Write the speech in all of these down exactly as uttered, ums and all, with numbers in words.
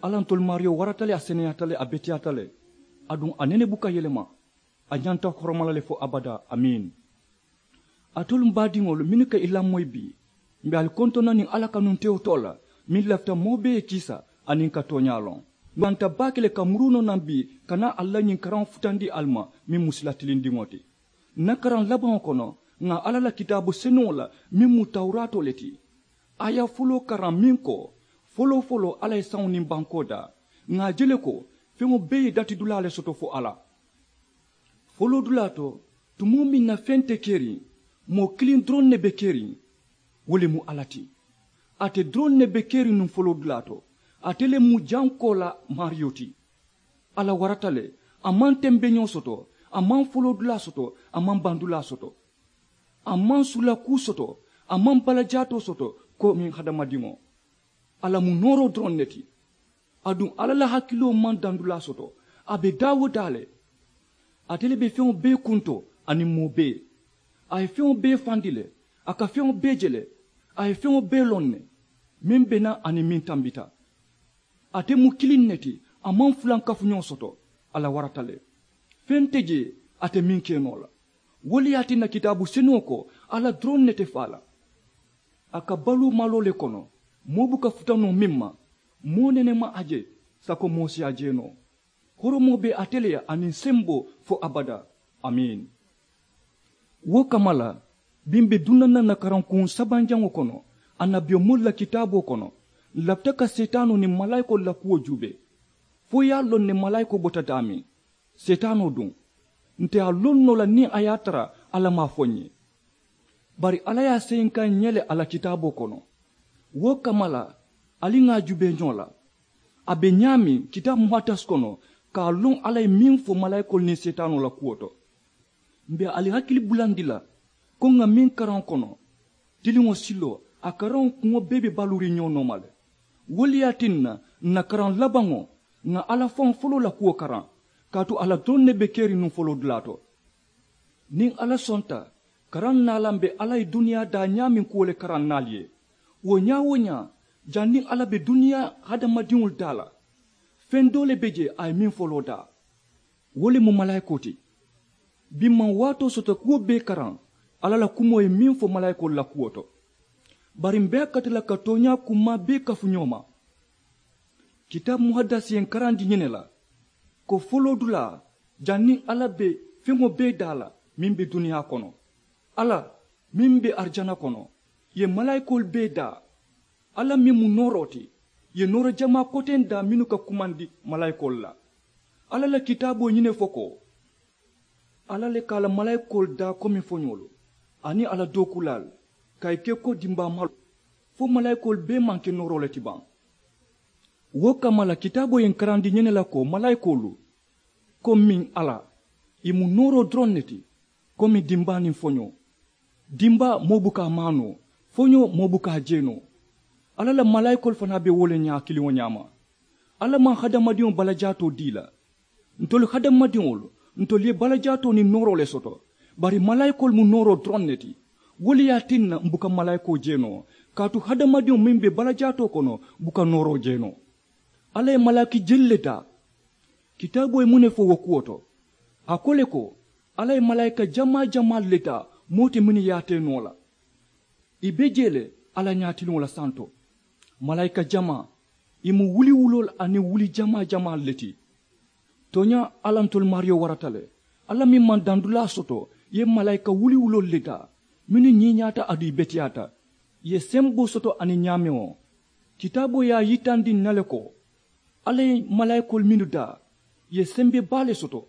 Alla ntolu maariyo warata le, a seneyaata le, a beteyaata le, aduŋ a nene buka yelema. A ñanta horoma la le fo abadaa. Amiin. Alitolu m baadiŋolu mennu ka i lamoyi bii, m̀ be ali kontoŋ na niŋ alla kanuntewo too la, meŋ lafita moo bee ye kiisa aniŋ ka tooñaa loŋ. M̀ banta baake le ka muruu noo naŋ bii ka naa ali la ñiŋ karaŋo futandi ali ma, meŋ mu sila tilindiŋo ti. Ǹ na karaŋ labaŋo kono, ŋà alla la kitaabu senuŋo la meŋ mu tawuraatoo le ti, a ye a foloo karaŋ meŋ ko, foloo foloo alla ye saŋo niŋ bankoo daa. Ŋà a je le ko, feŋo bee ye datidulaa le soto fo alla. Foloodulaa to, tumoo meŋ na feŋ te keriŋ, moo kiliŋ doroŋ ne be keriŋ. Wo le mu alla ti. Ate doroŋ ne be keriŋ nuŋ foloodulaa to. Ate le mu jankoo la maariyo ti. Alla warata le. A maŋ tembeñoo soto, a maŋ foloodulaa soto, a maŋ bandulaa soto. A maŋ sula kuu soto, a maŋ balajaatoo soto, komiŋ hadamadiŋo. Alla mu nooroo doroŋ ne ti. Aduŋ alla la hakiloo maŋ dandulaa soto. A be daa wo daa le. Ate le be feŋo bee kunto aniŋ moo bee. A ye feŋo bee fandi le. A ka feŋo bee je le. A ye feŋo bee loŋ ne, meŋ be naa aniŋ meŋ tambita. Ate mu kiliŋ ne ti. A maŋ fulankafuñoo soto. Alla warata le. Feŋ te jee ate meŋ ke noo la. Wo le ye a tinna kitaabu senuŋo ko, alla doroŋ ne te faa la. A ka baluu maloo le kono. Moo buka futa noo meŋ ma, moo nene maŋ a je. Sako moo si a je noo. Horomoo be ate le ye aniŋ semboo fo abadaa. Amiin. Wo kamma la, biŋ be duŋ na ǹ na karankuŋ sabanjaŋo kono, annabiyomoolu la kitaaboo kono. Ǹ lafita ka seetaanoo niŋ malaayikoolu la kuwo juubee, fo i ye a loŋ ne malaayikoo bota daameŋ. Seetaanoo duŋ, nte a loŋ noo la niŋ a ye a tara alla maŋ a fo ǹ ye. Bari alla ye a seyinkaa ǹ ye le a la kitaaboo kono. Wo kamma la, ali ŋà a juubee ñoo la. A be ñaameŋ kitaabu muhaddas kono, ka a loŋ alla ye meŋ fo malaayikoolu niŋ seetaanoo la kuwo to. M̀ be ali hakili bulandi la, ko ŋà meŋ karaŋo kono, tiliŋo siloo a karaŋo kuŋo bee be baluuriŋ ñoo nooma le. Wo le ye a tinna ǹ na karaŋ labaŋo, ŋà alla faŋo foloo la kuwo karaŋ, kaatu alla doroŋ ne be keriŋ nuŋ foloodulaa to. Niŋ alla sonta, karaŋ naa la m̀ be alla ye duniyaa daa ñaameŋ kuwo le karaŋ naa ali ye. Wo ñaa-wo-ñaa, janniŋ alla be duniyaa hadamadiŋolu daa la, feŋ doo le be jee a ye meŋ foloo daa. Wo le mu malaayikoo ti. Biŋ maŋ waatoo soto kuwo bee karaŋ, alla la kumoo ye meŋ fo malaayikoolu la kuwo to. Bari m̀ be a kati la ka tooñaa kummaa bee kafu ñoo ma. Kitaabu muhadasi ye ǹ karandi ñiŋ ne la, ko foloodulaa, janniŋ alla be feŋo bee daa la meŋ be duniyaa kono, alla meŋ be arijana kono, ye malaayikoolu bee daa. Alla meŋ mu nooroo ti, ye nooro jamaa koteŋ daa mennu ka kumandi malaayikoolu la. Alla la kitaaboo ñiŋ ne fo ko, alla le ka a la malaayikoolu daa komi foñoolu, aniŋ a la dookuulaalu, ka ì ke ko dimbaa maloo, fo malaayikoolu bee maŋ ke nooroo le ti baŋ. Wo kamma la kitaaboo ye ǹ karandi ñiŋ ne la ko malaayikoolu, komiŋ alla, ì mu nooroo doroŋ ne ti, komi dimbaa niŋ foñoo. Dimbaa moo buka a maanoo, foñoo moo buka a jeenoo. Alla la malaayikoolu fanaa be wo le ñaa kiliŋo ñaama. Alla maŋ hadamadiŋo balajaatoo dii la. Ntolu hadamadiŋolu, ntolu ye balajaatoo niŋ nooroo le soto, bari malaayikoolu mu nooroo doroŋ ne ti. Wo le ye a tinna m̀ buka malaayikoo jeenoo, kaatu hadamadiŋo meŋ be balajaatoo kono buka nooroo jeenoo. Alla ye malaaki jelu le taa. Kitaaboo ye muŋ ne fo wo kuwo to? A ko le ko, alla ye malaayika jamaa jamaalu le taa, moo te mennu ye a tee noo la. Ì be jee le alla ñaatiliŋo la santo. Malaayika jamaa, ì mu wuliwuloolu aniŋ wuli jamaa jamaalu le ti. Tooñaa, alla ntolu maariyo warata le. Alla meŋ maŋ dandulaa soto ye malaayika wuliwuloolu le taa, mennu ñiiñaata aduŋ ì beteyaata, ì ye semboo soto aniŋ ñaamewo. Kitaaboo ye a yitandi ǹ na le ko, alla ye malaayikoolu mennu daa, ì ye sembe baa le soto.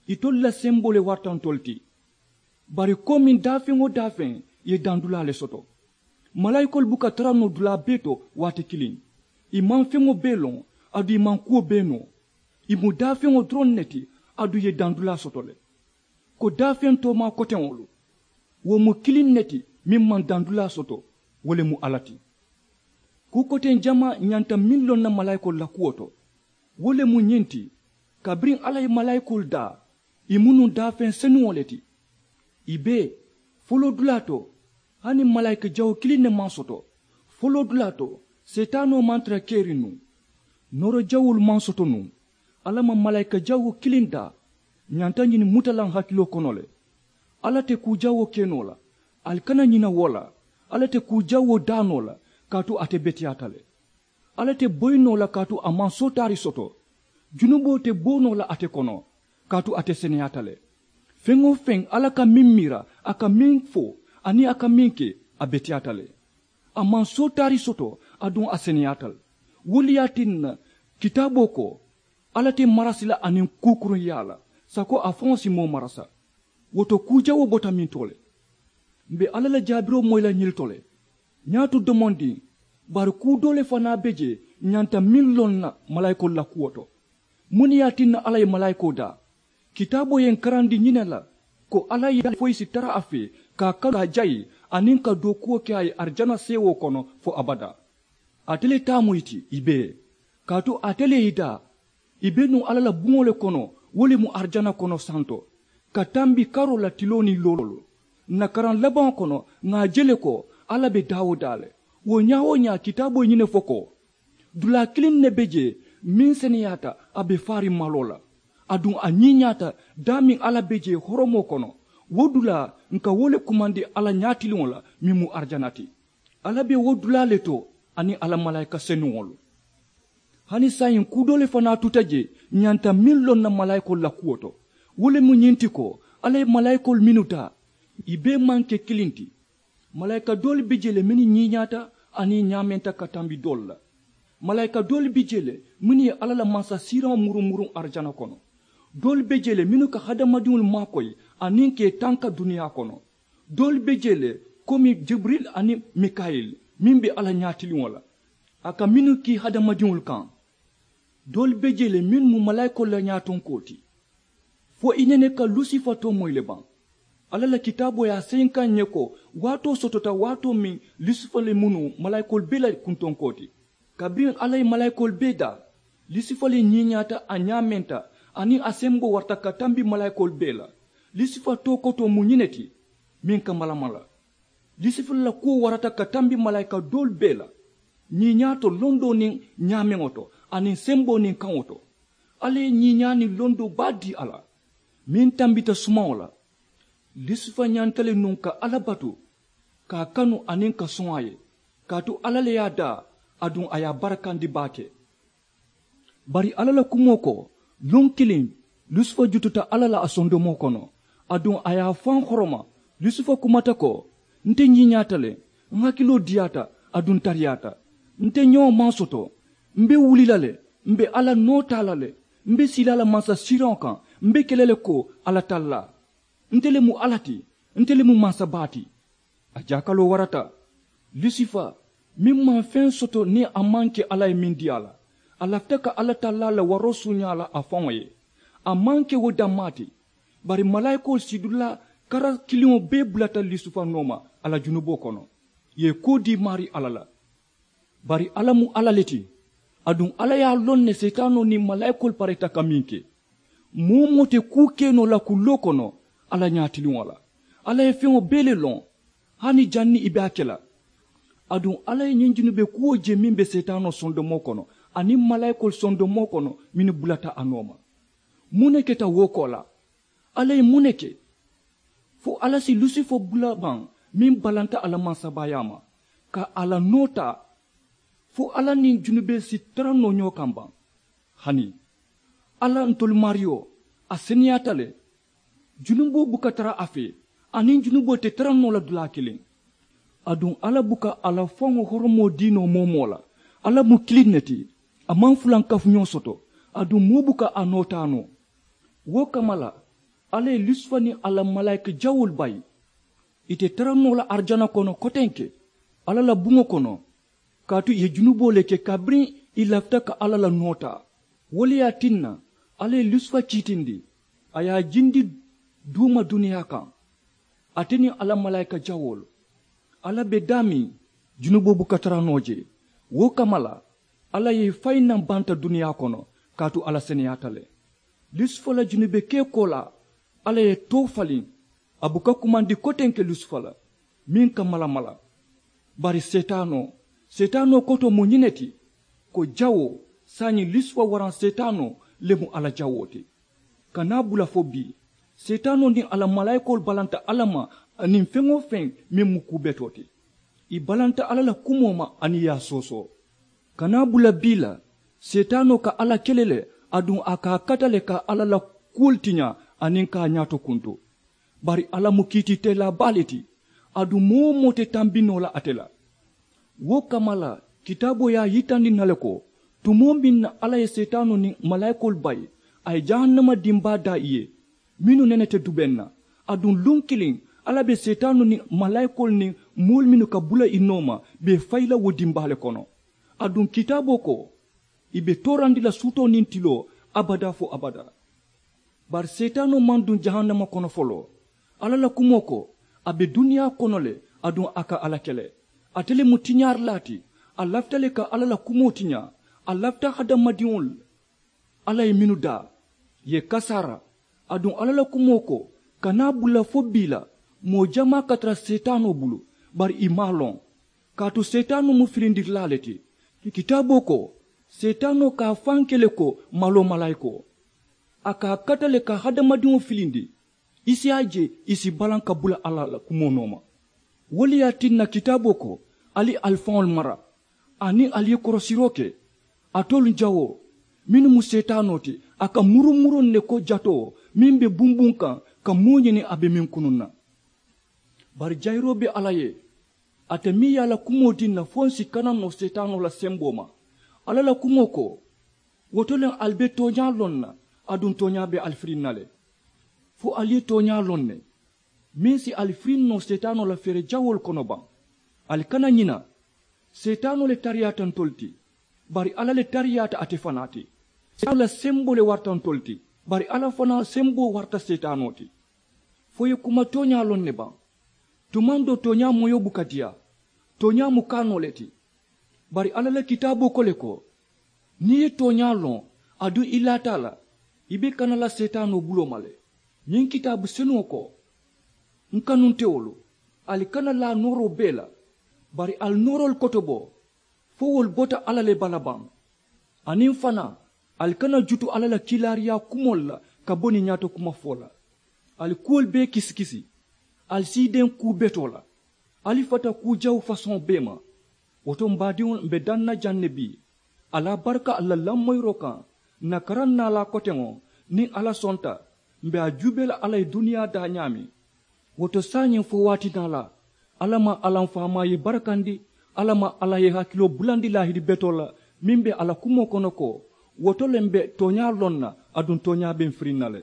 Itolu la semboo le warata ntolu ti. Bari komiŋ daafeŋ-wo-daafeŋ ye dandulaa le soto. Malaayikoolu buka tara noo dulaa bee to waati kiliŋ. Ì maŋ feŋo bee loŋ, aduŋ ì maŋ kuwo bee noo. Ì mu daafeŋo doroŋ ne ti, aduŋ ì ye dandulaa soto le. Ko daafeŋ toomaa koteŋolu, wo mu kiliŋ ne ti meŋ maŋ dandulaa soto, wo le mu alla ti. Kuu koteŋ jamaa ñanta meŋ loŋ na malaayikoolu la kuwo to, wo le mu ñiŋ ti, kabiriŋ alla ye malaayikoolu daa, ì mu nuŋ daafeŋ senuŋo le ti. Ì be foloodulaa to, hani malaayika jawo kiliŋ ne maŋ soto. Foloodulaa to, seetaanoo maŋ tara keriŋ nuŋ. Nooro jawolu maŋ soto nuŋ. Alla maŋ malaayika jawoo kiliŋ daa. Ñanta ñiŋ muta la n hakiloo kono le. Alla te kuu jawoo ke noo la. Ali kana ñina wo la. Alla te kuu jawoo daa noo la. Kaatu ate beteyaata le. Alla te boyi noo la kaatu a maŋ sootaari soto. Junuboo te bo noo la ate kono. Kaatu ate seneyaata le. Feŋ-wo-feŋ alla ka meŋ miira, a ka meŋ fo, aniŋ a ka meŋ ke, a beteyaata le. A maŋ sootaari soto, aduŋ a seneyaata le. Wo le ye a tinna, kitaaboo ko, alla te marasi la aniŋ kuukuruŋyaa la, sako a faŋo si moo marasa. Wo to kuu jawoo bota mintoo le. M̀ be alla la jaabiroo moyi la ñilito le. Ñaato domondiŋ, bari kuu doo le fanaa be jee ñanta meŋ loŋ na malaayikoolu la kuwo to. Muŋ ne ye a tinna alla ye malaayikoo daa? Kitaaboo ye n karandi ñiŋ ne la, ko alla ye a foyi si tara a fee ka a kanu ka a jayi, aniŋ ka dookuwo ke a ye arijana seewoo kono fo abadaa. Ate le taa mu ì ti ì bee. Kaatu ate le ye ì daa. Ì be nuŋ alla la buŋo le kono, wo le mu arijana kono santo, ka tambi karoo la tiloo niŋ loolu. Ǹ na karaŋ labaŋo kono, ŋà a je le ko alla be daa-wo-daa le. Wo ñaa-wo-ñaa kitaaboo ye ñiŋ ne fo ko, dulaa kiliŋ ne be jee, meŋ seneyaata a be faariŋ maloo la. Aduŋ a ñiiñaata daameŋ alla be jee horomoo kono. Wo dulaa, ǹ ka wo le kumandi alla ñaatiliŋo la, meŋ mu arijana ti. Alla be wo dulaa le to, aniŋ a la malaayika senuŋolu. Hani saayiŋ kuu doo le fanaa tuta jee, ñanta meŋ loŋ na malaayikoolu la kuwo to. Wo le mu ñiŋ ti ko, alla ye malaayikoolu mennu taa, ì bee maŋ ke kiliŋ ti. Malaayika doolu be jee le mennu ñiiñaata, aniŋ ñaamenta ka tambi doolu la. Malaayika doolu be jee le mennu ye alla la mansasiiraŋo muruŋ muruŋ arijana kono. Doolu be jee le mennu ka hadamadiŋolu maakoyi, aniŋ ka ì tanka duniyaa kono. Doolu be jee le, komi jibiril aniŋ mikayil, meŋ be alla ñaatiliŋo la, a ka mennu kii hadamadiŋolu kaŋ. Doolu be jee le mennu mu malaayikoolu la ñaatonkoo ti. Fo i nene ka lusifa too moyi le baŋ? Alla la kitaaboo ye a seyinkaŋ ǹ ye ko, waatoo sotota waatoo meŋ, lusifa le mu nuŋ malaayikoolu bee la kuntonkoo ti. Kabiriŋ alla ye malaayikoolu bee daa, lusifa le ñiiñaata, a ñaamenta, aniŋ a semboo warata ka tambi malaayikoolu bee la. Lusifa too kotoo mu ñiŋ ne ti, meŋ ka malamala. Lusifa la kuwo warata ka tambi malaayika doolu bee la, ñiiñaa to londoo niŋ ñaameŋo to, aniŋ semboo niŋ kaŋo to. Alla ye ñiiñaa niŋ londoo baa dii a la, meŋ tambita sumaŋo la. Lusifa ñanta le nuŋ ka alla batu, ka a kanu aniŋ ka soŋ a ye, kaatu alla le ye a daa, aduŋ a ye a barakandi baake. Bari alla la kumoo ko, luŋ kiliŋ, lusifa jututa alla la a sondomoo kono, aduŋ a ye a faŋ horoma. Lusifa kumata ko, nte ñiiñaata le, ǹ hakiloo diyaata, aduŋ ǹ tariyaata. Nte ñoo maŋ soto. M̀ be wuli la le, m̀ be alla noo taa la le, m̀ be sii la a la mansasiiraŋo kaŋ, m̀ be ke la le ko alla tallaa. Nte le mu alla ti, nte le mu mansabaa ti. A jaakaloo warata. Lusifa, meŋ maŋ feŋ soto niŋ a maŋ ke alla ye meŋ dii a la, a lafita ka alla tallaa la waroo suuñaa la a faŋo ye. A maŋ ke wo dammaa ti, bari malaayikoolu sidulaa kara kiliŋo bee bulata lusifa nooma a la junuboo kono, ì ye koo dii maarii alla la. Bari alla mu alla le ti, aduŋ alla ye a loŋ ne seetaanoo niŋ malaayikoolu pareeta ka meŋ ke. Moo-wo-moo te kuu ke noo la kulloo kono alla ñaatiliŋo la. Alla ye feŋo bee le loŋ, hani janniŋ ì be a ke la. Aduŋ alla ye ñiŋ junube kuwo je meŋ be seetaanoo sondomoo kono, aniŋ malaayikoolu sondomoo kono mennu bulata a nooma. Muŋ ne keta wo koolaa? Alla ye muŋ ne ke? Fo alla si lusifa bula baŋ, meŋ balanta a la mansabaayaa ma, ka a la noo taa? Fo alla niŋ junubee si tara noo ñoo kaŋ baŋ? Hani alla, ntolu maariyo, a seneyaata le. Junuboo buka tara a fee, aniŋ junuboo te tara noo la dulaa kiliŋ. Aduŋ alla buka a la faŋo horomoo dii noo moo-wo-moo la. Alla mu kiliŋ ne ti, a maŋ fulankafuñoo soto, aduŋ moo buka a noo taa noo. Wo kamma la, alla ye lusifa niŋ a la malaayika jawoolu bayi. Ì te tara noo la arijana kono kotenke, alla la buŋo kono, kaatu ì ye junuboo le ke kabiriŋ ì lafita ka alla la noo taa. Wo le ye a tinna, alla ye lusifa kiitindi, a ye a jindi duuma duniyaa kaŋ, ate niŋ a la malaayika jawoolu. Alla be daameŋ, junuboo buka tara noo jee. Wo kamma la, alla ye ì fayi naŋ banta duniyaa kono, kaatu alla seneyaata le. Lusifa la junube kee koolaa, alla ye too faliŋ. A buka kumandi kotenke lusifa la, meŋ ka malamala. Bari seetaanoo, seetaanoo kotoo mu ñiŋ ne ti, ko jawoo, Saayiŋ lusifa waraŋ seetaanoo le mu alla jawoo ti. Ka naa bula fo bii, seetaanoo niŋ a la malaayikoolu balanta alla ma aniŋ feŋ-wo-feŋ meŋ mu kuu betoo ti. Ì balanta alla la kumoo ma aniŋ ì ye a soosoo. Ka naa bula bii la, seetaanoo ka alla kele le, aduŋ a ka a kata le ka alla la kuwolu tiñaa aniŋ ka a ñaato kuntu. Bari alla mu kiitiiteelaa baa le ti, aduŋ moo-wo-moo te tambi noo la ate la. Wo kamma la, kitaaboo ye a yitandi ǹ na le ko, tumoo meŋ na alla ye seetaanoo niŋ malaayikoolu bayi, a ye jahannama dimbaa daa ì ye, mennu nene te dubeŋ na. Aduŋ luŋ kiliŋ, alla be seetaanoo niŋ malaayikoolu niŋ moolu mennu ka bula ì nooma be ì fayi la wo dimbaa le kono. Aduŋ kitaaboo ko, ì be toorandi la suutoo niŋ tiloo abadaa fo abadaa. Bari seetaanoo maŋ duŋ jahannama kono foloo. Alla la kumoo ko, a be duniyaa kono le, aduŋ a ka alla kele. Ate le mu tiñaarilaa ti. A lafita le ka alla la kumoo tiñaa. A lafita hadamadiŋolu la alla ye mennu daa, ì ye kasaara. Aduŋ alla la kumoo ko, ka naa bula fo bii la, moo jamaa ka tara seetaanoo bulu, bari ì maŋ a loŋ. Kaatu seetaanoo mu filindirilaa le ti. Kitaaboo ko, seetaanoo ka a faŋ ke le ko maloo malaayikoo. A ka a kata le ka hadamadiŋo filindi. I si a je, i si balaŋ ka bula alla la kumoo nooma. Wo le ye a tinna kitaaboo ko, ali ali faŋolu mara, aniŋ ali ye korosiroo ke, alitolu jawoo, mennu mu seetaanoo ti, a ka murumuruŋ ne ko jatoo meŋ be bunbuŋ kaŋ, ka moo ñini a be meŋ kunuŋ na. Bari jayiroo be alla ye, ate meŋ ye a la kumoo dii ǹ na fo ǹ si kana noo seetaanoo la semboo ma. Alla la kumoo ko, wo to le ali be tooñaa loŋ na, aduŋ tooñaa be ali firiŋ na le. Fo ali ye tooñaa loŋ ne, meŋ si ali firiŋ noo seetaanoo la feere jawoolu kono baŋ. Ali kana ñina, seetaanoo le tariyaata ntolu ti, bari alla le tariyaata ate fanaa ti. Seetaanoo la semboo le warata ntolu ti, bari alla fanaa semboo warata seetaanoo ti. Fo i ye kuma tooñaa loŋ ne baŋ? Tumaŋ doo tooñaa moyoo buka diyaa. Tooñaa mu kaanoo le ti. Bari alla la kitaaboo ko le ko, niŋ i ye tooñaa loŋ, aduŋ i laata a la, i be kana la seetaanoo buloo ma le. Ñiŋ kitaabu senuŋo ko, n kanunteolu, ali kana laa nooroo bee la, bari ali nooroolu kotobo, fo wolu bota alla le bala baŋ. Aniŋ fanaa, ali kana jutu alla la kiilaariyaa kumoolu la ka bo niŋ ñaato kuma fo la. Ali kuwolu bee kisikisi. Ali siideŋ kuu betoo la. Ali fata kuu jawu fasoŋo bee ma. Wo to m baadiŋolu, m be daŋ na jaŋ ne bii, ali a baraka ali la lamoyiroo kaŋ. N na karaŋ naalaa koteŋo, niŋ alla sonta, m be a juubee la alla ye duniyaa daa ñaameŋ. Wo to saayiŋ fo waati naalaa, alla maŋ alla m faamaa ye i barakandi. Alla maŋ alla ye i hakiloo bulandi laahidi betoo la, meŋ be a la kumoo kono ko, wo to le m be tooñaa loŋ na, aduŋ tooñaa be m firiŋ na le.